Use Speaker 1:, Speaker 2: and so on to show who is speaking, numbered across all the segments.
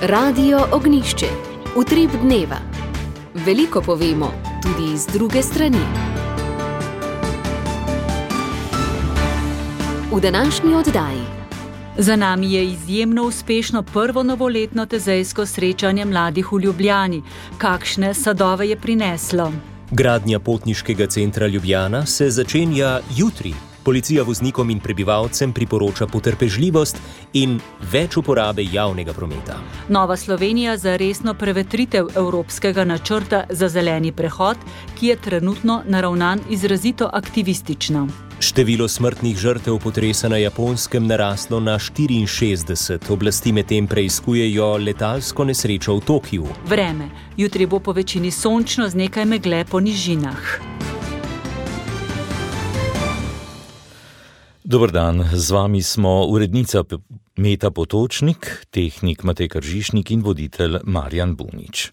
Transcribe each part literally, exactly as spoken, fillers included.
Speaker 1: Radio Ognišče, utrip dneva. Veliko povemo, tudi z druge strani. V današnji oddaji.
Speaker 2: Za nami je izjemno uspešno prvo novoletno tezejsko srečanje mladih v Ljubljani. Kakšne sadove je prineslo?
Speaker 3: Gradnja potniškega centra Ljubljana se začenja jutri. Policija voznikom in prebivalcem priporoča potrpežljivost in več uporabe javnega prometa.
Speaker 2: Nova Slovenija za resno prevetritev evropskega načrta za zeleni prehod, ki je trenutno naravnan izrazito aktivistično.
Speaker 3: Število smrtnih žrtev potresa na Japonskem naraslo na štiriinšestdeset. Oblasti medtem preiskujejo letalsko nesrečo v Tokiu.
Speaker 2: Vreme. Jutri bo po večini sončno z nekaj megle po nižinah.
Speaker 4: Dober dan, z vami smo urednica Meta Potočnik, tehnik Matej Kržišnik in voditelj Marjan Bunič.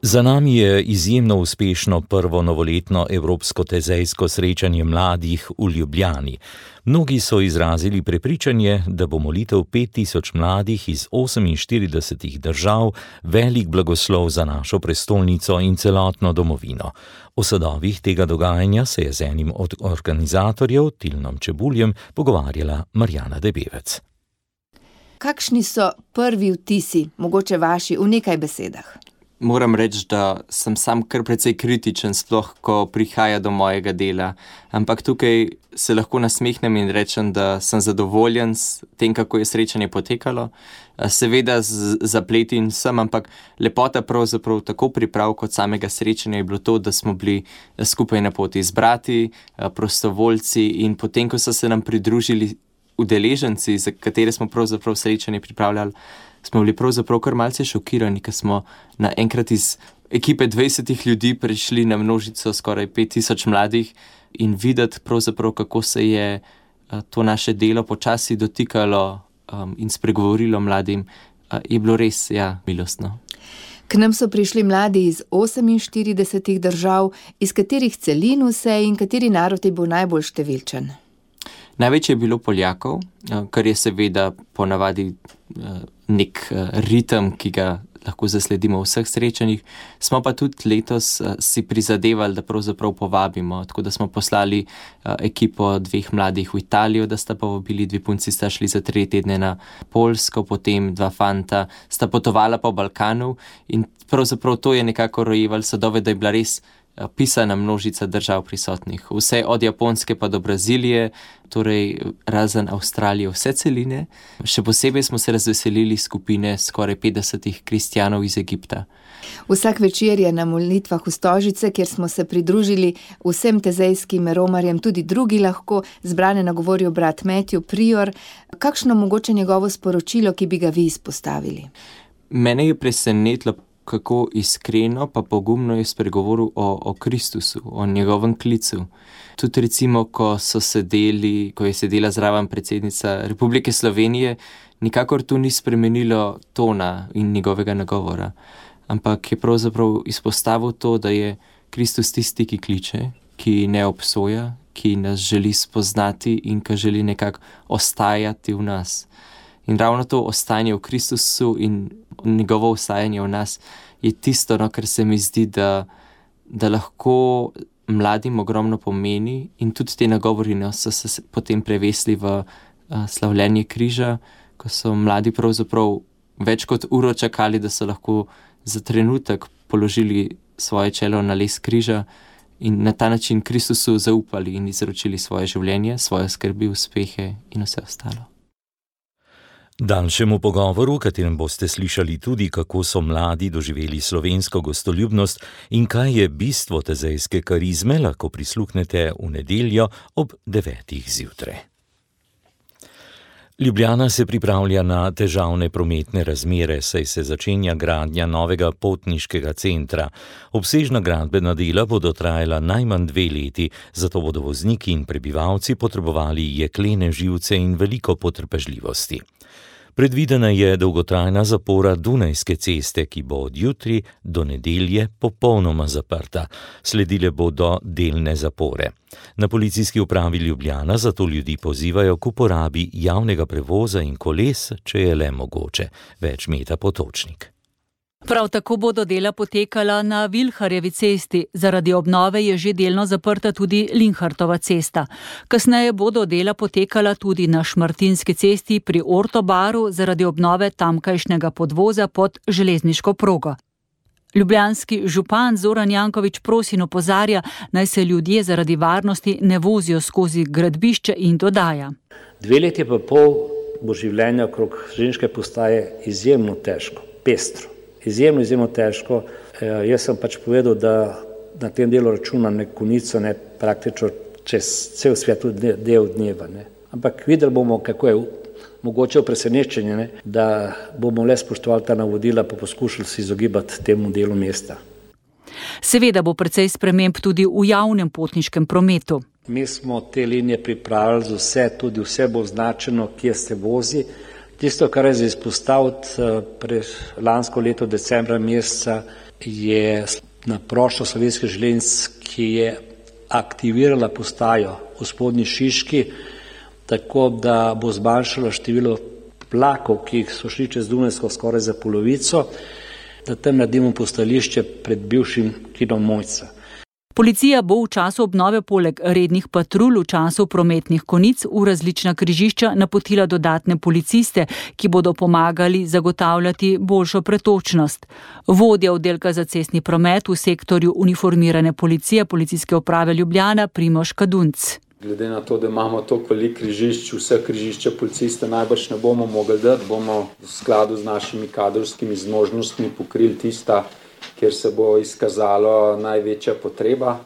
Speaker 4: Za nami je izjemno uspešno prvo novoletno evropsko tezejsko srečanje mladih v Ljubljani. Mnogi so izrazili prepričanje, da bo molitev pet tisoč mladih iz oseminštiridesetih držav velik blagoslov za našo prestolnico in celotno domovino. O sadovih tega dogajanja se je z enim od organizatorjev, Tilnom Čebuljem, pogovarjala Marjana Debevec.
Speaker 5: Kakšni so prvi vtisi, mogoče vaši, v nekaj besedah?
Speaker 6: Moram reči, da sem sam kar precej kritičen, sploh ko prihaja do mojega dela. Ampak tukaj se lahko nasmehnem in rečem, da sem zadovoljen s tem, kako je srečanje potekalo. Seveda z zapleti in vsem, ampak lepota pravzaprav tako priprav kot samega srečanja je bilo to, da smo bili skupaj na poti izbrati, prostovoljci, in potem, ko so se nam pridružili udeleženci, za katere smo pravzaprav srečanje pripravljali, smo bili pravzaprav kar malce šokirani, ker smo naenkrat iz ekipe dvajsetih ljudi prišli na množico skoraj pet tisoč mladih in videti pravzaprav, kako se je to naše delo počasi dotikalo um, in spregovorilo mladim, uh, je bilo res, ja, milostno.
Speaker 5: K nam so prišli mladi iz oseminštiridesetih držav, iz katerih celin vse in kateri narod je bil najbolj številčen?
Speaker 6: Največ je bilo Poljakov, kar je seveda ponavadi nek ritem, ki ga lahko zasledimo v vseh srečanjih. Smo pa tudi letos si prizadevali, da pravzaprav povabimo, tako da smo poslali ekipo dveh mladih v Italijo, da sta povabili, dve punci sta šli za tri tedne na Poljsko, potem dva fanta sta potovala po Balkanu in pravzaprav to je nekako rojevalo sadove, da je bila res pisana množica držav prisotnih. Vse od Japonske pa do Brazilije, torej razen Avstralije, vse celine. Še posebej smo se razveselili skupine skoraj petdesetih kristjanov iz Egipta.
Speaker 5: Vsak večer je na molitvah v Stožice, kjer smo se pridružili vsem tezejskim romarjem, tudi drugi lahko, zbrane nagovorijo brat Matthew Prior. Kakšno mogoče njegovo sporočilo, ki bi ga vi izpostavili?
Speaker 6: Mene je presenetilo, kako iskreno pa pogumno je spregovoril o, o Kristusu, o njegovem klicu. Tudi recimo, ko so sedeli, ko je sedela zraven predsednica Republike Slovenije, nikakor to ni spremenilo tona in njegovega nagovora. Ampak je pravzaprav izpostavil to, da je Kristus tisti, ki kliče, ki ne obsoja, ki nas želi spoznati in ki želi nekako ostajati v nas. In ravno to ostajanje v Kristusu in njegovo ostajanje v nas je tisto, no, kar se mi zdi, da, da lahko mladim ogromno pomeni, in tudi te nagovori no, so se potem prevesli v uh, slavljenje križa, ko so mladi pravzaprav več kot uro čakali, da so lahko za trenutek položili svoje čelo na les križa in na ta način Kristusu zaupali in izročili svoje življenje, svoje skrbi, uspehe in vse ostalo.
Speaker 4: Daljšemu pogovoru, v katerem boste slišali tudi, kako so mladi doživeli slovensko gostoljubnost in kaj je bistvo tezejske karizme, lahko prisluhnete v nedeljo ob devetih zjutraj. Ljubljana se pripravlja na težavne prometne razmere, saj se začenja gradnja novega potniškega centra. Obsežna gradbena dela bodo trajala najmanj dve leti, zato bodo vozniki in prebivalci potrebovali jeklene živce in veliko potrpežljivosti. Predvidena je dolgotrajna zapora Dunajske ceste, ki bo od jutri do nedelje popolnoma zaprta. Sledile bodo delne zapore. Na Policijski upravi Ljubljana zato ljudi pozivajo k uporabi javnega prevoza in koles, če je le mogoče. Več Meta Potočnik.
Speaker 2: Prav tako bodo dela potekala na Vilharjevi cesti. Zaradi obnove je že delno zaprta tudi Linhartova cesta. Kasneje bodo dela potekala tudi na Šmartinski cesti pri Ortobaru zaradi obnove tamkajšnjega podvoza pod železniško progo. Ljubljanski župan Zoran Janković Prosin opozarja, naj se ljudje zaradi varnosti ne vozijo skozi gradbišče in dodaja.
Speaker 7: Dve leti pa pol bo življenje okrog železniške postaje izjemno težko, pestro. Izjemno, izjemno težko. E, jaz sem pač povedal, da na tem delu računam ne konico, ne praktično čez cel svet tudi del dneva. Ne. Ampak videli bomo, kako je mogoče presenečenje, ne, da bomo le spoštovali ta navodila, pa poskušali se izogibati temu delu mesta.
Speaker 2: Seveda bo precej sprememb tudi v javnem potniškem prometu.
Speaker 7: Mi smo te linije pripravili za vse, tudi vse bo označeno, kje se vozi. Tisto, kar je za izpostaviti, pred lansko leto decembra meseca je na prošlo Slovenskih železnic, ki je aktivirala postajo v Spodnji Šiški, tako da bo zmanjšalo število vlakov, ki so šli čez Dunajsko skoraj za polovico, da tam naredimo postajališče pred bivšim kinom Mojca.
Speaker 2: Policija bo v času obnove poleg rednih patrulj v času prometnih konic v različna križišča napotila dodatne policiste, ki bodo pomagali zagotavljati boljšo pretočnost. Vodja oddelka za cestni promet v sektorju uniformirane policije Policijske uprave Ljubljana Primož Kadunc.
Speaker 8: Glede na to, da imamo toliko križišč, vse križišča policiste najbrž ne bomo mogli dati, bomo v skladu z našimi kadrovskimi zmožnostmi pokrili tista, kjer se bo izkazalo največja potreba,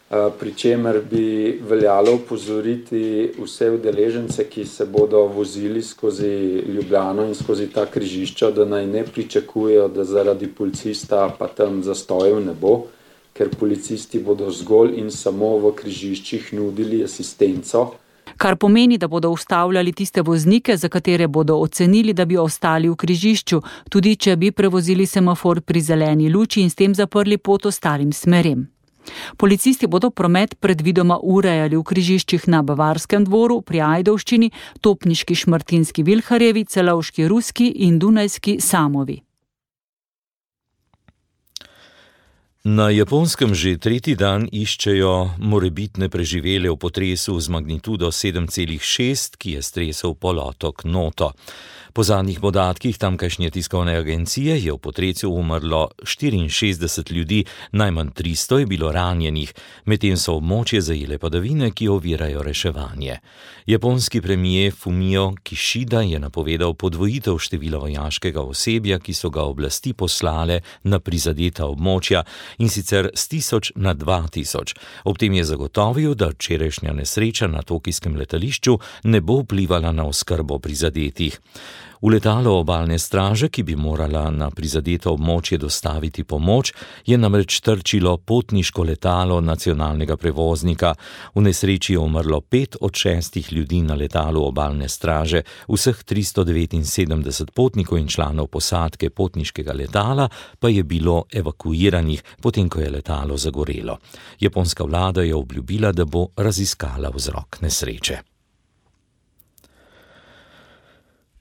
Speaker 8: pri čemer bi veljalo upozoriti vse udeležence, ki se bodo vozili skozi Ljubljano in skozi ta križišča, da naj ne pričakujejo, da zaradi policista pa tam zastojev ne bo, ker policisti bodo zgolj in samo v križiščih nudili asistenco.
Speaker 2: Kar pomeni, da bodo ustavljali tiste voznike, za katere bodo ocenili, da bi ostali v križišču, tudi če bi prevozili semafor pri zeleni luči in s tem zaprli pot ostalim smerem. Policisti bodo promet predvidoma urejali v križiščih na Bavarskem dvoru, pri Ajdovščini, Topniški Šmartinski Vilharjevi, Celovški Ruski in Dunajski Samovi.
Speaker 4: Na Japonskem že tretji dan iščejo morebitne preživele v potresu z magnitudo sedem celih šest, ki je stresel polotok Noto. Po zadnjih podatkih tamkajšnje tiskovne agencije je v potresu umrlo štiriinšestdeset ljudi, najmanj tristo je bilo ranjenih, medtem so območje zajele padavine, ki ovirajo reševanje. Japonski premier Fumio Kishida je napovedal podvojitev števila vojaškega osebja, ki so ga oblasti poslale na prizadeta območja, in sicer s tisoč na dva tisoč. Ob tem je zagotovil, da včerajšnja nesreča na tokijskem letališču ne bo vplivala na oskrbo prizadetih. V letalo obalne straže, ki bi morala na prizadeto območje dostaviti pomoč, je namreč trčilo potniško letalo nacionalnega prevoznika. V nesreči je umrlo pet od šestih ljudi na letalu obalne straže, vseh tristo devetinsedemdeset potnikov in članov posadke potniškega letala pa je bilo evakuiranih, potem ko je letalo zagorelo. Japonska vlada je obljubila, da bo raziskala vzrok nesreče.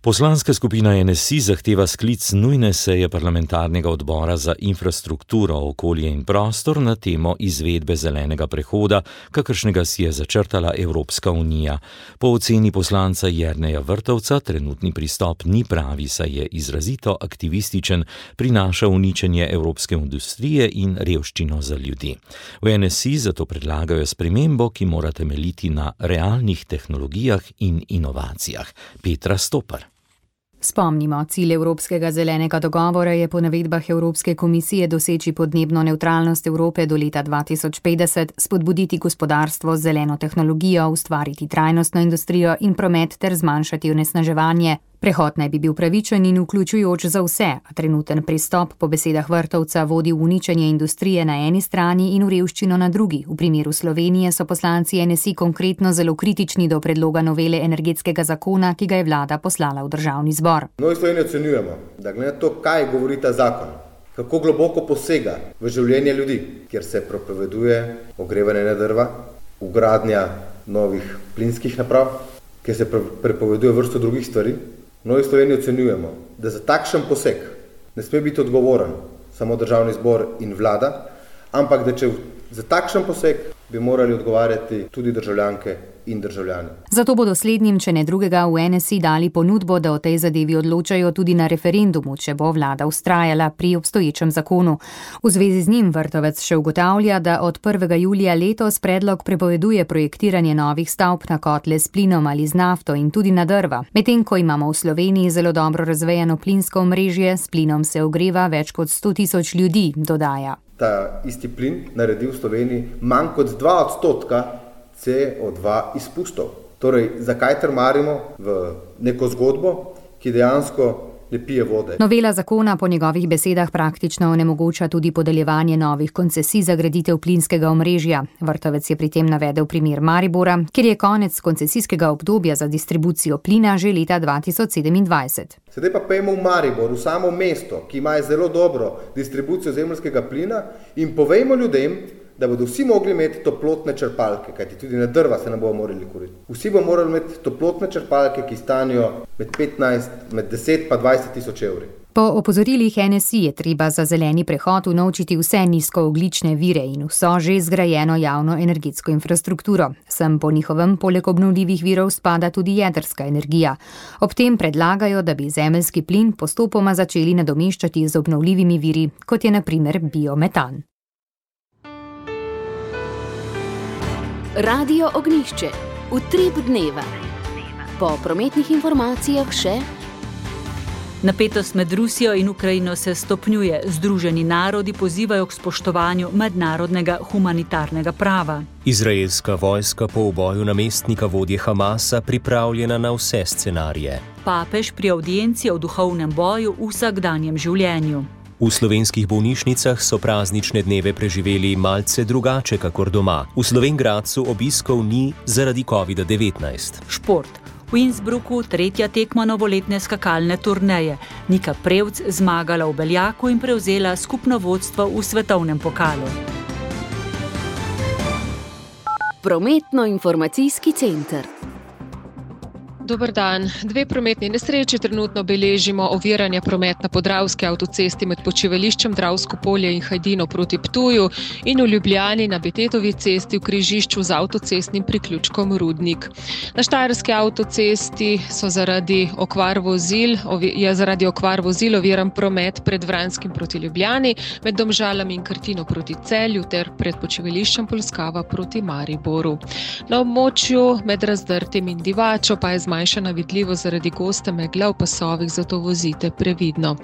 Speaker 4: Poslanska skupina N S I zahteva sklic nujne seje parlamentarnega odbora za infrastrukturo, okolje in prostor na temo izvedbe zelenega prehoda, kakršnega si je začrtala Evropska unija. Po oceni poslanca Jerneja Vrtovca trenutni pristop ni pravi, saj je izrazito aktivističen, prinaša uničenje evropske industrije in revščino za ljudi. V N S I zato predlagajo spremembo, ki mora temeljiti na realnih tehnologijah in inovacijah. Petra Stopar.
Speaker 9: Spomnimo, cilj Evropskega zelenega dogovora je po navedbah Evropske komisije doseči podnebno nevtralnost Evrope do leta dva tisoč petdeset, spodbuditi gospodarstvo z zeleno tehnologijo, ustvariti trajnostno industrijo in promet ter zmanjšati onesnaževanje. Prehod naj bi bil pravičen in vključujoč za vse, a trenuten pristop po besedah Vrtovca vodi v uničenje industrije na eni strani in v revščino na drugi. V primeru Slovenije so poslanci N S I konkretno zelo kritični do predloga novele energetskega zakona, ki ga je vlada poslala v državni zbor.
Speaker 10: Novi Sloveniji ocenjujemo, da glede na to, kaj govori ta zakon, kako globoko posega v življenje ljudi, kjer se prepoveduje ogrevanje na drva, vgradnja novih plinskih naprav, kjer se prepoveduje vrsto drugih stvari. V Novi Sloveniji ocenjujemo, da za takšen poseg ne sme biti odgovoren samo državni zbor in vlada, ampak da če za takšen poseg bi morali odgovarjati tudi državljanke in državljani.
Speaker 9: Zato bodo slednjim, če ne drugega, v N S I dali ponudbo, da o tej zadevi odločajo tudi na referendumu, če bo vlada vztrajala pri obstoječem zakonu. V zvezi z njim Vrtovec še ugotavlja, da od prvega julija letos predlog prepoveduje projektiranje novih stavb na kotle s plinom ali z nafto in tudi na drva. Medtem ko imamo v Sloveniji zelo dobro razvejano plinsko omrežje, s plinom se ogreva več kot sto tisoč ljudi, dodaja.
Speaker 10: Ta isti plin naredi v Sloveniji manj kot dva odstotka C O dva izpustov. Torej, zakaj trmarimo v neko zgodbo, ki dejansko ne pije vode?
Speaker 9: Novela zakona po njegovih besedah praktično onemogoča tudi podeljevanje novih koncesij za graditev plinskega omrežja. Vrtovec je pri tem navedel primer Maribora, kjer je konec koncesijskega obdobja za distribucijo plina že leta dva tisoč sedemindvajset.
Speaker 10: Sedaj pa pejmo v Maribor, v samo mesto, ki ima zelo dobro distribucijo zemeljskega plina, in povejmo ljudem, da bodo vsi mogli imeti toplotne črpalke, kajti tudi na drva se ne bodo morali kuriti. Vsi bodo morali imeti toplotne črpalke, ki stanijo med petnajst, med deset pa dvajset tisoč evri.
Speaker 9: Po opozorilih N S I je treba za zeleni prehod unovčiti vse nizkoogljične vire in vso že zgrajeno javno energetsko infrastrukturo. Sem po njihovem poleg obnovljivih virov spada tudi jedrska energija. Ob tem predlagajo, da bi zemeljski plin postopoma začeli nadomeščati z obnovljivimi viri, kot je na primer biometan.
Speaker 1: Radio Ognjišče, utrip dneva. Po prometnih informacijah še:
Speaker 2: napetost med Rusijo in Ukrajino se stopnjuje. Združeni narodi pozivajo k spoštovanju mednarodnega humanitarnega prava.
Speaker 3: Izraelska vojska po uboju namestnika vodje Hamasa pripravljena na vse scenarije.
Speaker 2: Papež pri avdienci o duhovnem boju v vsakdanjem življenju.
Speaker 3: V slovenskih bolnišnicah so praznične dneve preživeli malce drugače kakor doma. V Slovenj Gradcu obiskov ni zaradi kovida devetnajst.
Speaker 2: Šport. V Innsbrucku tretja tekma novoletne skakalne turneje. Nika Prevc zmagala v Beljaku in prevzela skupno vodstvo v svetovnem pokalu.
Speaker 1: Prometno-informacijski center.
Speaker 11: Dober dan. Dve prometni nesreči trenutno beležimo. Oviranje prometa na Podravski avtocesti med počivališčem Dravsko polje in Hajdino proti Ptuju in v Ljubljani na Betetovi cesti v križišču z avtocestnim priključkom Rudnik. Na Štajerski avtocesti so zaradi okvar vozil, je zaradi okvar vozil oviran promet pred Vranskim proti Ljubljani, med Domžalami in Krtino proti Celju ter pred počivališčem Polskava proti Mariboru. Na območju med Razdrtem in Divačo pa je zmanjšana Manjša vidljivost zaradi goste megle v pasovih, zato vozite previdno.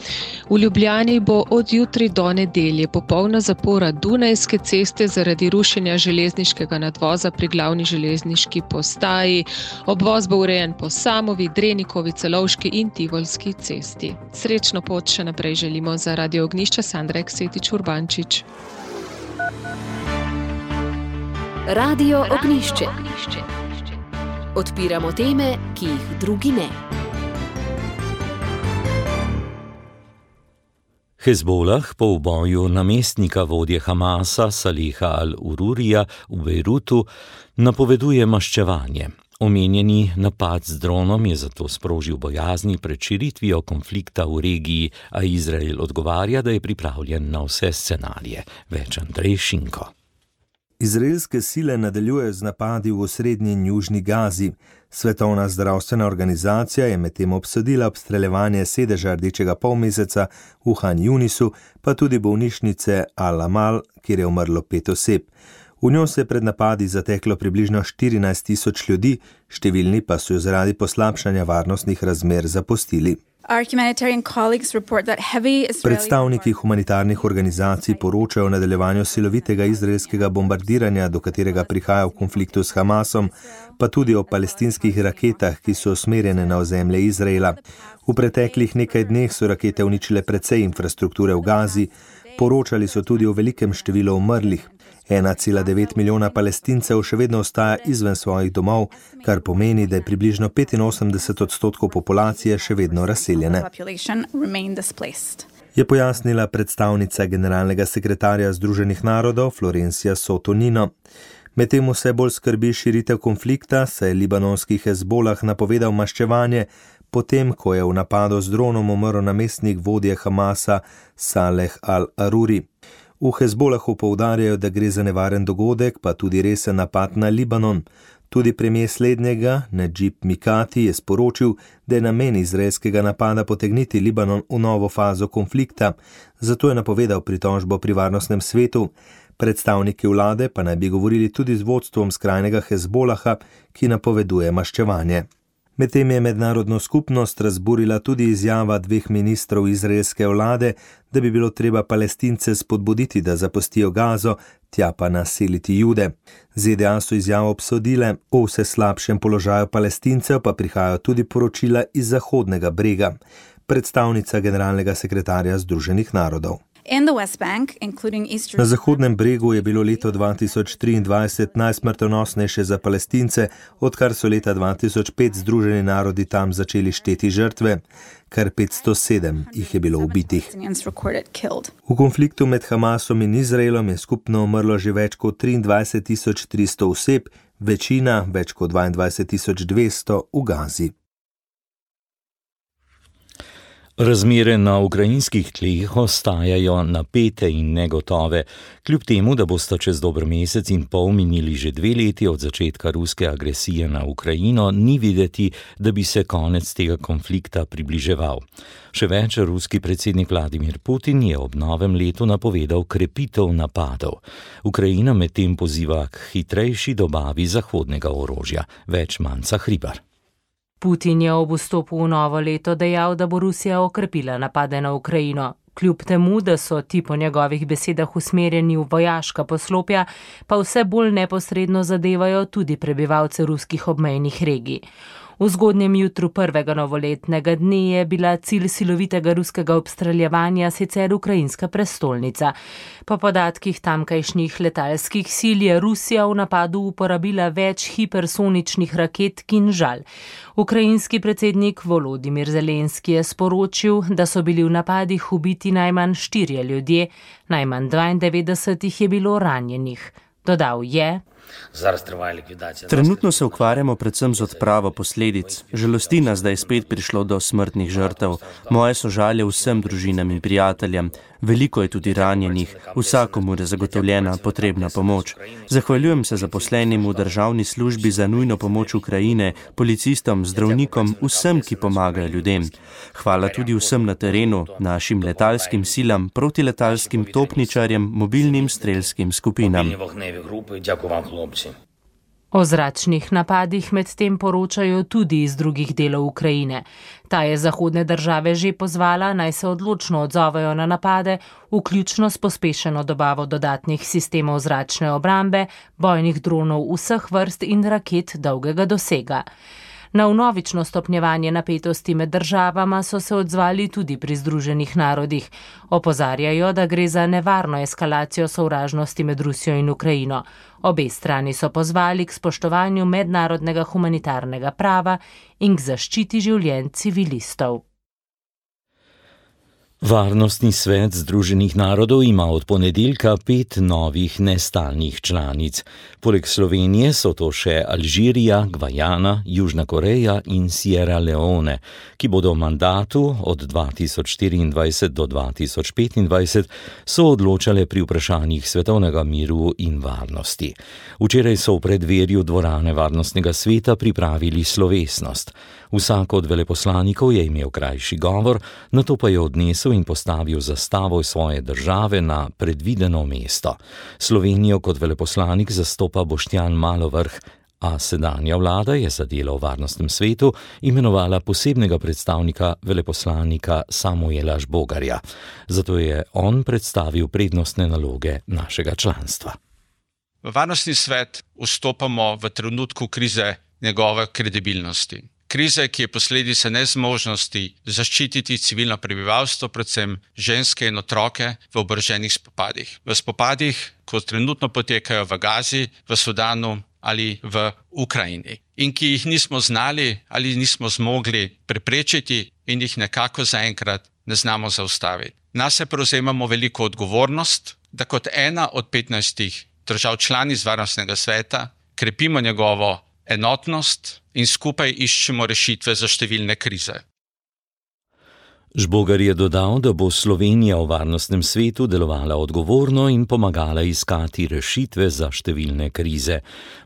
Speaker 11: V Ljubljani bo od jutri do nedelje popolna zapora Dunajske ceste zaradi rušenja železniškega nadvoza pri glavni železniški postaji. Obvoz bo urejen po Samovi, Drenikovi, Celovški in Tivolski cesti. Srečno pot še naprej želimo za Radio Ognjišče, Sandra Eksetič Urbančič.
Speaker 1: Radio Ognjišče. Odpiramo teme, ki jih drugi ne.
Speaker 4: Hezbolah po uboju namestnika vodje Hamasa Saleha al-Ururija v Bejrutu napoveduje maščevanje. Omenjeni napad z dronom je zato sprožil bojazni pred širitvijo konflikta v regiji, a Izrael odgovarja, da je pripravljen na vse scenarije. Več Andrej Šinko.
Speaker 12: Izraelske sile nadaljujejo z napadi v osrednji in južni Gazi. Svetovna zdravstvena organizacija je medtem obsodila obstreljevanje sedeža Rdečega polmeseca v Han Junisu, pa tudi bolnišnice Al-Amal, kjer je umrlo pet oseb. V njo se je pred napadi zateklo približno štirinajst tisoč ljudi, številni pa so jo zaradi poslabšanja varnostnih razmer zapustili. Predstavniki humanitarnih organizacij poročajo o nadaljevanju silovitega izraelskega bombardiranja, do katerega prihaja v konfliktu s Hamasom, pa tudi o palestinskih raketah, ki so usmerjene na ozemlje Izraela. V preteklih nekaj dneh so rakete uničile precej infrastrukture v Gazi, poročali so tudi o velikem številu umrlih. ena cela devet milijona Palestincev še vedno ostaja izven svojih domov, kar pomeni, da je približno petinosemdeset odstotkov populacije še vedno razseljene. Je pojasnila predstavnica generalnega sekretarja Združenih narodov Florencia Soto-Nino. Medtem vse bolj skrbi širitev konflikta, saj je libanonski Hezbolah napovedal maščevanje, potem ko je v napadu z dronom umrl namestnik vodje Hamasa Saleh al-Aruri. V Hezbolahu poudarjajo, da gre za nevaren dogodek, pa tudi resen napad na Libanon. Tudi premijer slednjega, Nadžib Mikati, je sporočil, da je namen izraelskega napada potegniti Libanon v novo fazo konflikta, zato je napovedal pritožbo pri varnostnem svetu. Predstavniki vlade pa naj bi govorili tudi z vodstvom skrajnega Hezbolaha, ki napoveduje maščevanje. Medtem je mednarodno skupnost razburila tudi izjava dveh ministrov izraelske vlade, da bi bilo treba Palestince spodbuditi, da zapustijo Gazo, tja pa naseliti Jude. Z D A so izjavo obsodile, o vse slabšem položaju Palestincev pa prihajajo tudi poročila iz Zahodnega brega. Predstavnica generalnega sekretarja Združenih narodov. Na Zahodnem bregu je bilo leto dva tisoč triindvajset najsmrtonosnejše za Palestince, odkar so leta dva tisoč pet Združeni narodi tam začeli šteti žrtve. Kar petsto sedem jih je bilo ubitih. V konfliktu med Hamasom in Izraelom je skupno umrlo že več kot triindvajset tisoč tristo oseb, večina, več kot dvaindvajset tisoč dvesto, v Gazi.
Speaker 4: Razmere na ukrajinskih tleh ostajajo napete in negotove, kljub temu, da bosta čez dober mesec in pol minili že dve leti od začetka ruske agresije na Ukrajino, ni videti, da bi se konec tega konflikta približeval. Še več, ruski predsednik Vladimir Putin je ob novem letu napovedal krepitev napadov. Ukrajina medtem poziva k hitrejši dobavi zahodnega orožja. Več Manca Hribar.
Speaker 13: Putin je ob vstopu v novo leto dejal, da bo Rusija okrepila napade na Ukrajino. Kljub temu, da so ti po njegovih besedah usmerjeni v vojaška poslopja, pa vse bolj neposredno zadevajo tudi prebivalce ruskih obmejnih regij. V zgodnjem jutru prvega novoletnega dne je bila cilj silovitega ruskega obstreljevanja sicer ukrajinska prestolnica. Po podatkih tamkajšnjih letalskih sil je Rusija v napadu uporabila več hipersoničnih raket Kinžal. Ukrajinski predsednik Volodimir Zelenski je sporočil, da so bili v napadih ubiti najmanj štirje ljudje, najmanj dvaindevetdeset jih je bilo ranjenih. Dodal je:
Speaker 14: Trenutno se ukvarjamo predvsem z odpravo posledic. Žalosti nas, da je spet prišlo do smrtnih žrtev. Moje sožalje vsem družinam in prijateljem. Veliko je tudi ranjenih. Vsakomur je zagotovljena potrebna pomoč. Zahvaljujem se zaposlenim v državni službi za nujno pomoč Ukrajine, policistom, zdravnikom, vsem, ki pomagajo ljudem. Hvala tudi vsem na terenu, našim letalskim silam, protiletalskim topničarjem, mobilnim strelskim skupinam.
Speaker 13: O zračnih napadih medtem poročajo tudi iz drugih delov Ukrajine. Ta je zahodne države že pozvala, naj se odločno odzovejo na napade, vključno s pospešeno dobavo dodatnih sistemov zračne obrambe, bojnih dronov vseh vrst in raket dolgega dosega. Na vnovično stopnjevanje napetosti med državama so se odzvali tudi pri Združenih narodih. Opozarjajo, da gre za nevarno eskalacijo sovražnosti med Rusijo in Ukrajino. Obe strani so pozvali k spoštovanju mednarodnega humanitarnega prava in k zaščiti življenj civilistov.
Speaker 4: Varnostni svet Združenih narodov ima od ponedeljka pet novih nestalnih članic. Poleg Slovenije so to še Alžirija, Gvajana, Južna Koreja in Sierra Leone, ki bodo v mandatu od dva tisoč štiriindvajset do dva tisoč petindvajset so odločale pri vprašanjih svetovnega miru in varnosti. Včeraj so v predverju dvorane Varnostnega sveta pripravili slovesnost. Vsak od veleposlanikov je imel krajši govor, nato pa je odnesel in postavil zastavo svoje države na predvideno mesto. Slovenijo kot veleposlanik zastopa Boštjan Malovrh, A sedanja vlada je za delo v varnostnem svetu imenovala posebnega predstavnika veleposlanika Samuela Žbogarja. Zato je on predstavil prednostne naloge našega članstva.
Speaker 15: V varnostni svet vstopamo v trenutku krize njegove kredibilnosti. Krize, ki je posledica nezmožnosti zaščititi civilno prebivalstvo, predvsem ženske in otroke v oboroženih spopadih. V spopadih, ko trenutno potekajo v Gazi, v Sudanu ali v Ukrajini. In ki jih nismo znali ali nismo zmogli preprečiti in jih nekako zaenkrat ne znamo zaustaviti. Nase prevzemamo veliko odgovornost, da kot ena od petnajstih držav članic varnostnega sveta krepimo njegovo enotnost in skupaj iščemo rešitve za številne krize.
Speaker 4: Žbogar je dodal, da bo Slovenija v varnostnem svetu delovala odgovorno in pomagala iskati rešitve za številne krize.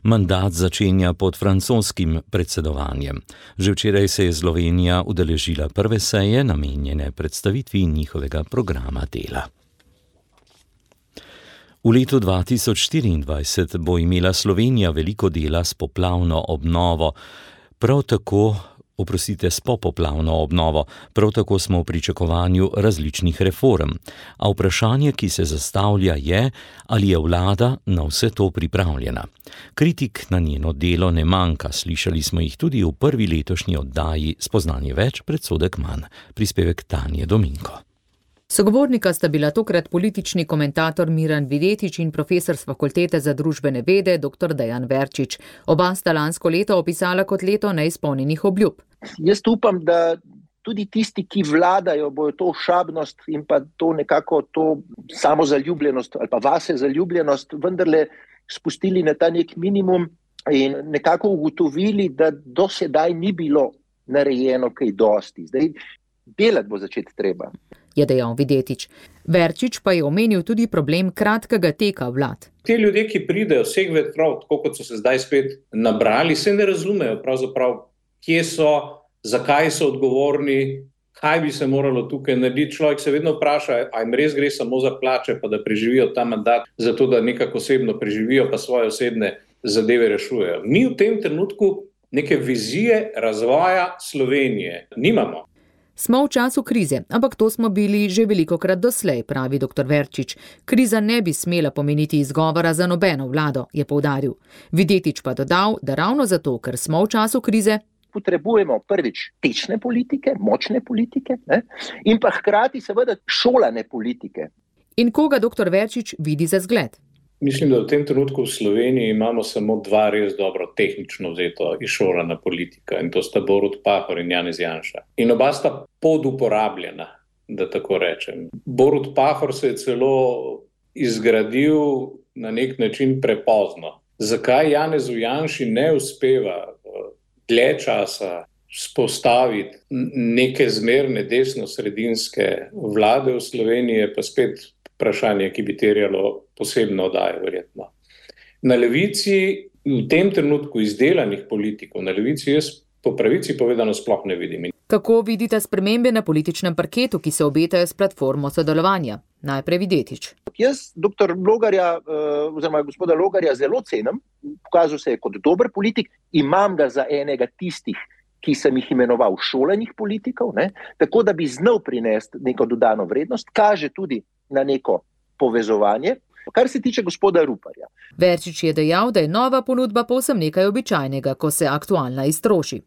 Speaker 4: Mandat začenja pod francoskim predsedovanjem. Že včeraj se je Slovenija udeležila prve seje, namenjene predstavitvi njihovega programa dela. V letu dva tisoč štiriindvajset bo imela Slovenija veliko dela s poplavno obnovo, prav tako, oprostite, s popoplavno obnovo, prav tako smo v pričakovanju različnih reform. A vprašanje, ki se zastavlja, je, ali je vlada na vse to pripravljena. Kritik na njeno delo ne manjka, slišali smo jih tudi v prvi letošnji oddaji Spoznanje več, predsodek manj. Prispevek Tanje Dominko.
Speaker 16: Sogovornika sta bila tokrat politični komentator Miran Videtič in profesor s Fakultete za družbene vede doktor Dejan Verčič. Oba sta lansko leto opisala kot leto neizpolnjenih obljub.
Speaker 17: Jaz upam, da tudi tisti, ki vladajo, bojo to šabnost in pa to nekako to samozaljubljenost ali pa vase zaljubljenost vendarle spustili na ta nek minimum in nekako ugotovili, da do sedaj ni bilo narejeno kaj dosti. Zdaj, delati bo začeti treba.
Speaker 16: Je dejal Videtič. Verčič pa je omenil tudi problem kratkega teka vlad.
Speaker 18: Te ljudje, ki pridejo vseh vetrov, tako kot so se zdaj spet nabrali, se ne razumejo pravzaprav, kje so, zakaj so odgovorni, kaj bi se moralo tukaj narediti. Človek se vedno vpraša, a jim res gre samo za plače, pa da preživijo ta mandat, zato da nekako osebno preživijo, pa svoje osebne zadeve rešujejo. Mi v tem trenutku neke vizije razvoja Slovenije nimamo.
Speaker 16: Smo v času krize, ampak to smo bili že velikokrat doslej, pravi doktor Verčič. Kriza ne bi smela pomeniti izgovora za nobeno vlado, je poudaril. Videtič pa dodal, da ravno zato, ker smo v času krize,
Speaker 17: potrebujemo prvič tečne politike, močne politike, ne? In pa hkrati seveda šolane politike.
Speaker 16: In koga doktor Verčič vidi za zgled?
Speaker 18: Mislim, da v tem trenutku v Sloveniji imamo samo dva res dobro tehnično vzeto izšolana politika in to sta Borut Pahor in Janez Janša. In oba sta poduporabljena, da tako rečem. Borut Pahor se je celo izgradil na nek način prepozno. Zakaj Janezu Janši ne uspeva dlje časa spostaviti neke zmerne desno-sredinske vlade v Sloveniji, pa spet vprašanje, ki bi terjalo posebno oddajo, verjetno. Na levici, v tem trenutku izdelanih politikov, na levici jaz po pravici povedano sploh ne vidim.
Speaker 16: Kako vidite spremembe na političnem parketu, ki se obetajo s platformo sodelovanja? Najprej Videtič.
Speaker 17: Jaz doktor Logarja, oziroma gospoda Logarja zelo cenim, pokazal se je kot dober politik, imam ga za enega tistih, ki sem jih imenoval šolanih politikov, ne? Tako da bi znal prinesti neko dodano vrednost, kaže tudi na neko povezovanje. Kar se tiče gospoda Ruparja.
Speaker 16: Verčič je dejal, da je nova ponudba povsem nekaj običajnega, ko se aktualna iztroši.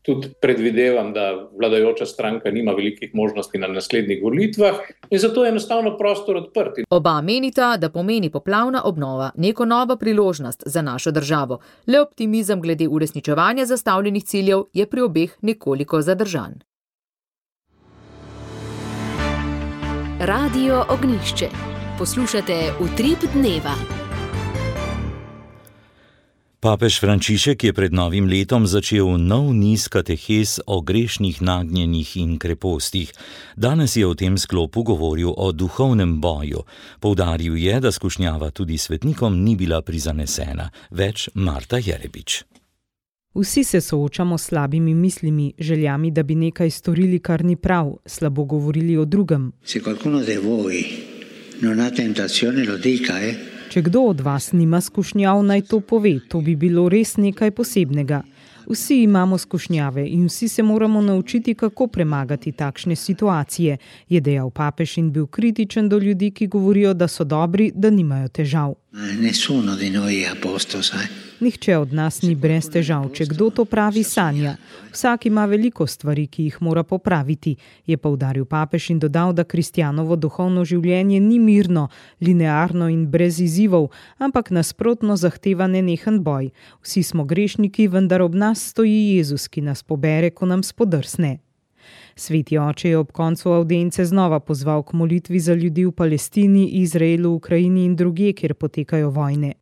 Speaker 18: Tudi predvidevam, da vladajoča stranka nima velikih možnosti na naslednjih volitvah in zato je enostavno prostor odprt.
Speaker 16: Oba menita, da pomeni poplavna obnova neko novo priložnost za našo državo. Le optimizem glede uresničevanja zastavljenih ciljev je pri obeh nekoliko zadržan.
Speaker 1: Radio Ognjišče. Poslušate Utrip dneva.
Speaker 4: Papež Frančišek je pred novim letom začel nov niz katehez o grešnih nagnjenjih in krepostih. Danes je v tem sklopu govoril o duhovnem boju. Poudaril je, da skušnjava tudi svetnikom ni bila prizanesena. Več Marta Jerebič.
Speaker 19: Vsi se soočamo s slabimi mislimi, željami, da bi nekaj storili, kar ni prav, slabo govorili o drugem.
Speaker 20: Se qualcuno de voi non ha tentazione, lo dica, eh?
Speaker 19: Če kdo od vas nima skušnjav, naj to pove, to bi bilo res nekaj posebnega. Vsi imamo skušnjave in vsi se moramo naučiti, kako premagati takšne situacije, je dejal papež in bil kritičen do ljudi, ki govorijo, da so dobri, da nimajo težav.
Speaker 20: Nessuno di noi è a posto, sai?
Speaker 19: Nihče od nas ni brez težav, če kdo to pravi, sanja. Vsak ima veliko stvari, ki jih mora popraviti, je poudaril papež in dodal, da kristjanovo duhovno življenje ni mirno, linearno in brez izzivov, ampak nasprotno zahteva nenehen boj. Vsi smo grešniki, vendar ob nas stoji Jezus, ki nas pobere, ko nam spodrsne. Sveti oče je ob koncu avdience znova pozval k molitvi za ljudi v Palestini, Izraelu, Ukrajini in drugje, kjer potekajo vojne.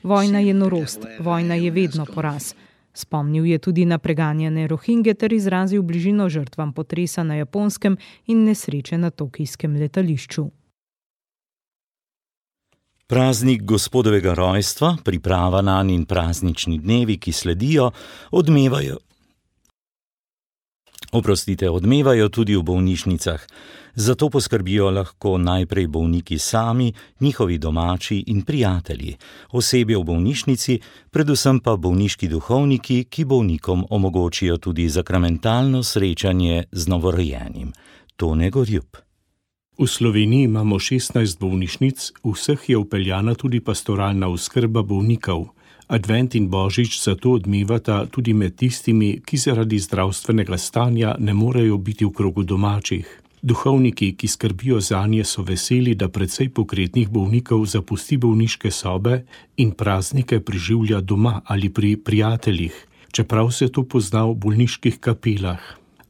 Speaker 19: Vojna je norost, vojna je vedno poraz. Spomnil je tudi na preganjane Rohingje ter izrazil bližino žrtvam potresa na Japonskem in nesreče na tokijskem letališču.
Speaker 4: Praznik gospodovega rojstva, priprava nanj in praznični dnevi, ki sledijo, odmevajo. Oprostite, odmevajo tudi v bolnišnicah. Zato poskrbijo lahko najprej bolniki sami, njihovi domači in prijatelji, osebje v bolnišnici, predvsem pa bolniški duhovniki, ki bolnikom omogočijo tudi sakramentalno srečanje z novorojenim. Tone Gorjup.
Speaker 21: V Sloveniji imamo šestnajst bolnišnic, v vseh je vpeljana tudi pastoralna oskrba bolnikov. Advent in Božič zato odmevata tudi med tistimi, ki zaradi zdravstvenega stanja ne morejo biti v krogu domačih. Duhovniki, ki skrbijo zanje, so veseli, da precej pokretnih bolnikov zapusti bolniške sobe in praznike preživlja doma ali pri prijateljih, čeprav se to pozna v bolniških kapelah.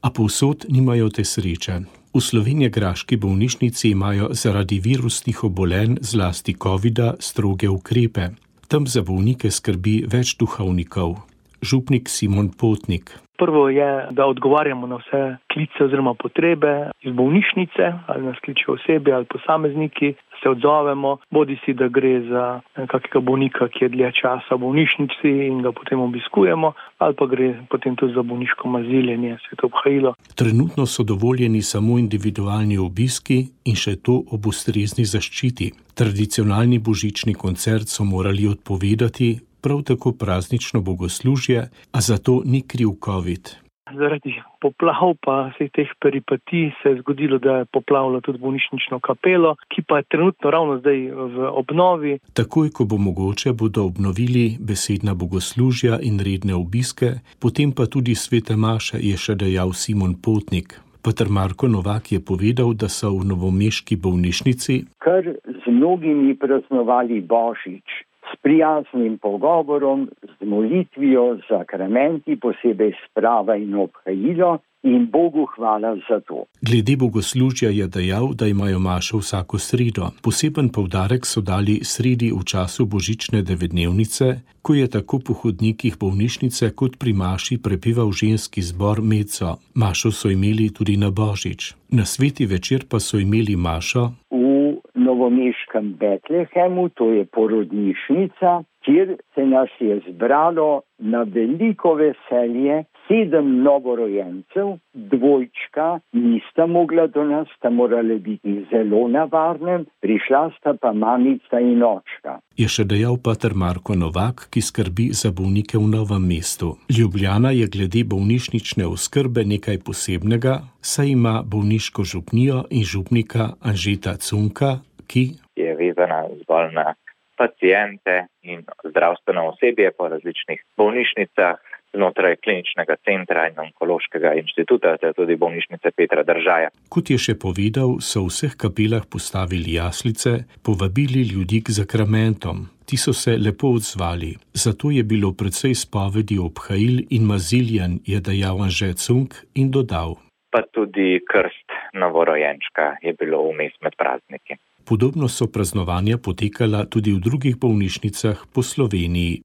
Speaker 21: A povsod nimajo te sreče. V slovenjegraški bolnišnici imajo zaradi virusnih obolenj, zlasti covida, stroge ukrepe. Tam za bolnike skrbi več duhovnikov. Župnik Simon Potnik.
Speaker 22: Prvo je, da odgovarjamo na vse klice oziroma potrebe iz bolnišnice, ali nas kličejo osebje ali posamezniki, se odzovemo, bodi si, da gre za kakega bolnika, ki je dlje časa v bolnišnici in ga potem obiskujemo, ali pa gre potem tudi za bolniško maziljenje, sveto obhajilo.
Speaker 21: Trenutno so dovoljeni samo individualni obiski in še to ob ustrezni zaščiti. Tradicionalni božični koncert so morali odpovedati, prav tako praznično bogoslužje, a zato ni kriv covid.
Speaker 22: Zaradi poplav pa vseh teh peripetij se je zgodilo, da je poplavilo tudi bolnišnično kapelo, ki pa je trenutno ravno zdaj v obnovi.
Speaker 21: Takoj, ko bo mogoče, bodo obnovili besedna bogoslužja in redne obiske, potem pa tudi svete maše, je še dejal Simon Potnik. Pater Marko Novak je povedal, da so v novomeški bolnišnici
Speaker 23: kar z mnogimi praznovali Božič. S prijaznim pogovorom, z molitvijo, zakramenti, posebej sprava in obhajilo in Bogu hvala za to.
Speaker 21: Glede bogoslužja je dejal, da imajo mašo vsako sredo. Poseben poudarek so dali sredi v času božične devetdnevnice, ko je tako po hodnikih bolnišnice kot pri maši prepeval ženski zbor Meco. Mašo so imeli tudi na Božič. Na sveti večer pa so imeli mašo
Speaker 23: v novomeškem Betlehemu, to je porodnišnica, kjer se nas je zbralo na veliko veselje. Sedem novorojencev, dvojčka, nista mogla do nas, sta morali biti zelo na varnem, prišla sta pa mamica in očka.
Speaker 21: Je še dejal pater Marko Novak, ki skrbi za bolnike v Novem mestu. Ljubljana je glede bolnišnične oskrbe nekaj posebnega, saj ima bolniško župnijo in župnika Anžeta Cunka, ki
Speaker 24: je vezana zgolj na pacijente in zdravstveno osebje po različnih bolnišnicah, znotraj kliničnega centra in onkološkega inštituta, ter tudi bolnišnice Petra Držaja.
Speaker 21: Kot je še povedal, so v vseh kapelah postavili jaslice, povabili ljudi k zakramentom. Ti so se lepo odzvali. Zato je bilo precej spovedi obhajil in maziljanj, je dejal Anže Cunk in dodal.
Speaker 24: Pa tudi krst novorojenčka je bilo vmes med prazniki.
Speaker 21: Podobno so praznovanja potekala tudi v drugih bolnišnicah po Sloveniji.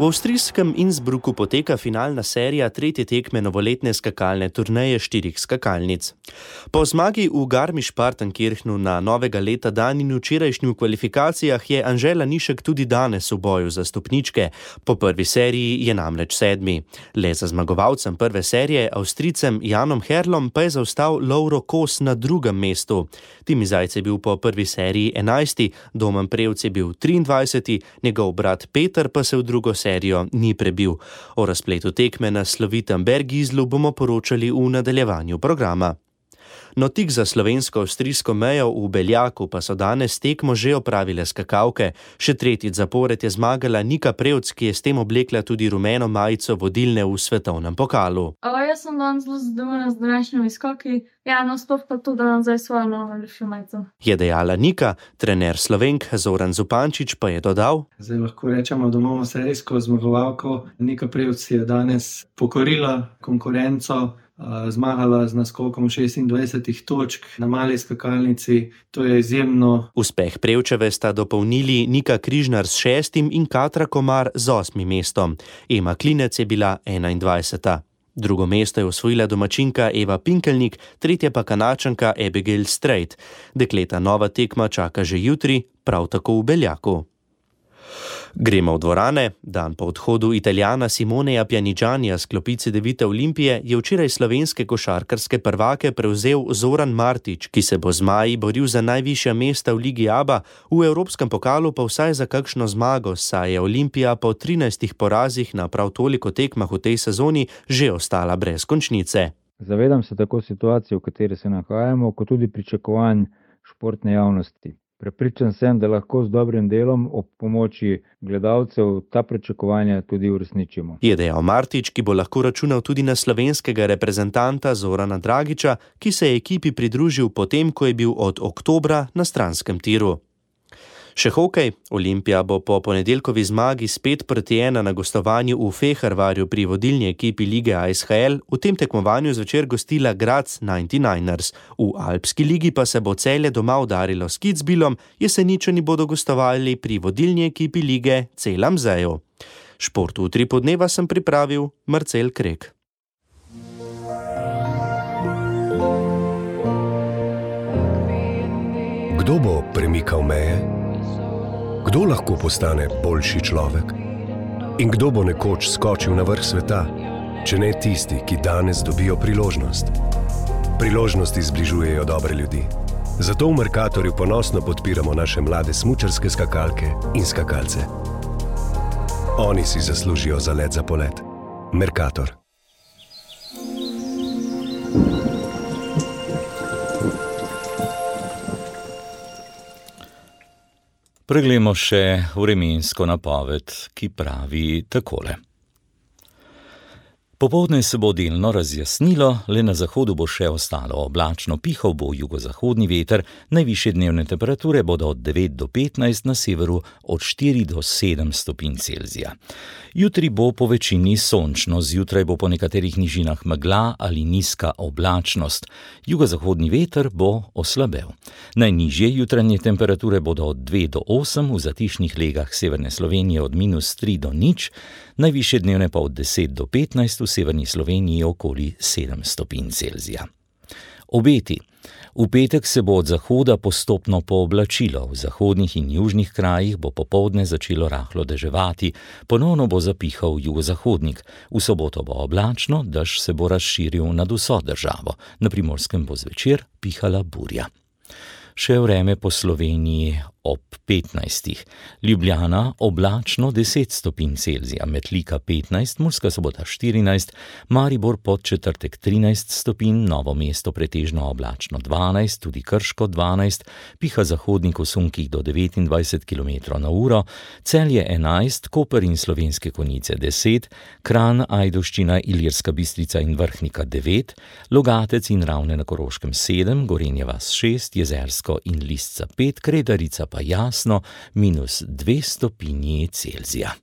Speaker 14: V avstrijskem Innsbrucku poteka finalna serija tretje tekme novoletne skakalne turneje štirih skakalnic. Po zmagi v Garmisch-Partenkirchnu na novega leta dan in včerajšnji v kvalifikacijah je Anžela Nišek tudi danes v boju za stopničke. Po prvi seriji je namreč sedmi. Le za zmagovalcem prve serije, Avstrijcem Janom Herlom, pa je zaostal Lovro Kos na drugem mestu. Timi Zajc je bil po prvi seriji enajsti, Domen Prevc je bil triindvajseti, njegov brat Peter pa se v drugo serijo ni prebil. O razpletu tekme na slovitem Bergizlu bomo poročali v nadaljevanju programa. No, tik za slovensko-avstrijsko mejo v Beljaku pa so danes tekmo že opravile skakalke. Še tretjič zapored je zmagala Nika Prevc, ki je s tem oblekla tudi rumeno majico vodilne v svetovnem pokalu.
Speaker 5: O, jaz sem danes zelo zadovoljna z današnjimi skoki. Ja, no, sploh pa to, da nam zdaj svojo novo lepšo majico. Je
Speaker 14: dejala Nika, trener Slovenk Zoran Zupančič pa je dodal.
Speaker 6: Zdaj lahko rečemo, da imamo serijsko zmagovalko. Nika Prevc je danes pokorila konkurenco, zmagala z naskokom šestindvajsetih točk na mali skakalnici. To je izjemno.
Speaker 14: Uspeh Prevčeve sta dopolnili Nika Križnar s šestim in Katra Komar z osmim mestom. Ema Klinec je bila enaindvajseta. Drugo mesto je osvojila domačinka Eva Pinkelnik, tretje pa Kanačanka Abigail Strait. Dekleta nova tekma čaka že jutri, prav tako v Beljaku. Gremo v dvorane. Dan po odhodu Italijana Simoneja Pjanigianija s klopi Cedevite Olimpije je včeraj slovenske košarkarske prvake prevzel Zoran Martić, ki se bo z zmaji boril za najvišja mesta v Ligi A B A, v Evropskem pokalu pa vsaj za kakšno zmago, saj je Olimpija po trinajstih porazih na prav toliko tekmah v tej sezoni že ostala brez končnice.
Speaker 7: Zavedam se tako situacije, v kateri se nahajamo, kot tudi pričakovanj športne javnosti. Prepričan sem, da lahko z dobrim delom ob pomoči gledalcev ta pričakovanja tudi uresničimo.
Speaker 14: Je dejal Martić, ki bo lahko računal tudi na slovenskega reprezentanta Zorana Dragića, ki se je ekipi pridružil potem, ko je bil od oktobra na stranskem tiru. Še hokej. Olimpija bo po ponedeljkovi zmagi spet proti ena na gostovanju v Fehervarju pri vodilni ekipi lige A S H L v tem tekmovanju zvečer gostila Graz devetdesetdeveters. V Alpski ligi pa se bo Celje doma udarilo s Kitzbühelom, Jeseničani bodo gostovali pri vodilni ekipi lige C L A M Z-ju. Šport v tri podneva sem pripravil Marcel Krek.
Speaker 8: Kdo bo premikal meje? Kdo lahko postane boljši človek? In kdo bo nekoč skočil na vrh sveta, če ne tisti, ki danes dobijo priložnost? Priložnosti zbližujejo dobre ljudi. Zato v Mercatorju ponosno podpiramo naše mlade smučarske skakalke in skakalce. Oni si zaslužijo zalet za polet. Mercator.
Speaker 4: Preglejmo še vremensko napoved, ki pravi takole. Popoldne se bo delno razjasnilo, le na zahodu bo še ostalo oblačno, pihal bo jugozahodni veter, najvišje dnevne temperature bodo od devet do petnajst, na severu od štiri do sedem stopinj Celzija. Jutri bo po večini sončno, zjutraj bo po nekaterih nižinah megla ali nizka oblačnost. Jugozahodni veter bo oslabel. Najnižje jutranje temperature bodo od dve do osem, v zatišnih legah severne Slovenije od minus tri do nič, najvišje dnevne pa od deset do petnajst, v severni Sloveniji okoli sedem stopinj Celzija. Obeti. V petek se bo od zahoda postopno pooblačilo, v zahodnih in južnih krajih bo popoldne začelo rahlo deževati, ponovno bo zapihal jugozahodnik, v soboto bo oblačno, dež se bo razširil nad vso državo, na Primorskem bo zvečer pihala burja. Še vreme po Sloveniji ob petnajstih. Ljubljana oblačno deset stopinj Celzija, Metlika petnajst, Murska Sobota štirinajst, Maribor Podčetrtek trinajst stopinj, Novo mesto pretežno oblačno dvanajst, tudi Krško dvanajst, piha zahodnik v sunkih do devetindvajset kilometrov na uro, Celje enajst, Koper in Slovenske Konjice deset, Kranj, Ajdovščina, Ilirska Bistrica in Vrhnika devet, Logatec in Ravne na Koroškem sedem, Gorenja vas šest, Jezersko in Lisca pet, Kredarica pa jasno minus dve stopinji Celzija.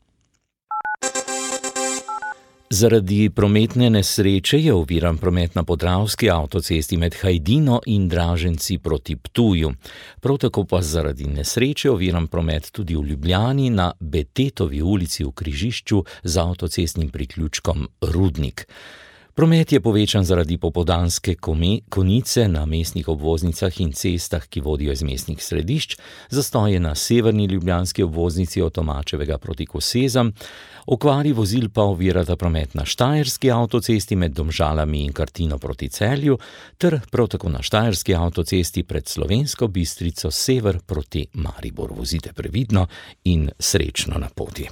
Speaker 4: Zaradi prometne nesreče je oviran promet na podravski avtocesti med Hajdino in Draženci proti Ptuju. Prav tako pa zaradi nesreče oviran promet tudi v Ljubljani na Betetovi ulici v križišču z avtocestnim priključkom Rudnik. Promet je povečan zaradi popoldanske konice na mestnih obvoznicah in cestah, ki vodijo iz mestnih središč, zastoje na severni ljubljanski obvoznici od Tomačevega proti Kosezam, okvari vozil pa ovirata promet na štajerski avtocesti med Domžalami in Kartino proti Celju ter prav tako na štajerski avtocesti pred Slovensko Bistrico sever proti Mariboru. Vozite previdno in srečno na poti.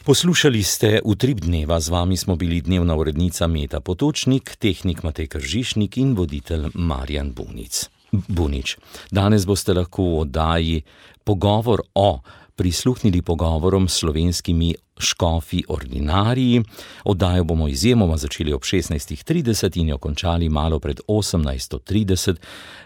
Speaker 4: Poslušali ste Utrip dneva, z vami smo bili dnevna urednica Meta Potočnik, tehnik Matej Kržišnik in voditelj Marjan Bunic. Bunič. Danes boste lahko v oddaji Pogovor o prisluhnili pogovorom s slovenskimi škofi ordinariji. Oddajo bomo izjemoma začeli ob šestnajst trideset in jo končali malo pred osemnajst trideset.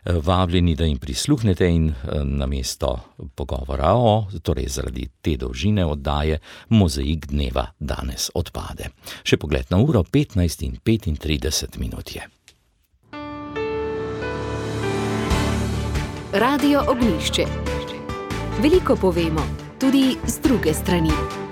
Speaker 4: Vabljeni, da jim prisluhnete in namesto pogovora o, torej zaradi te dolžine oddaje, mozaik dneva danes odpade. Še pogled na uro, petnajst in petintrideset minut je.
Speaker 1: Radio Ognjišče. Veliko povemo, tudi z druge strani.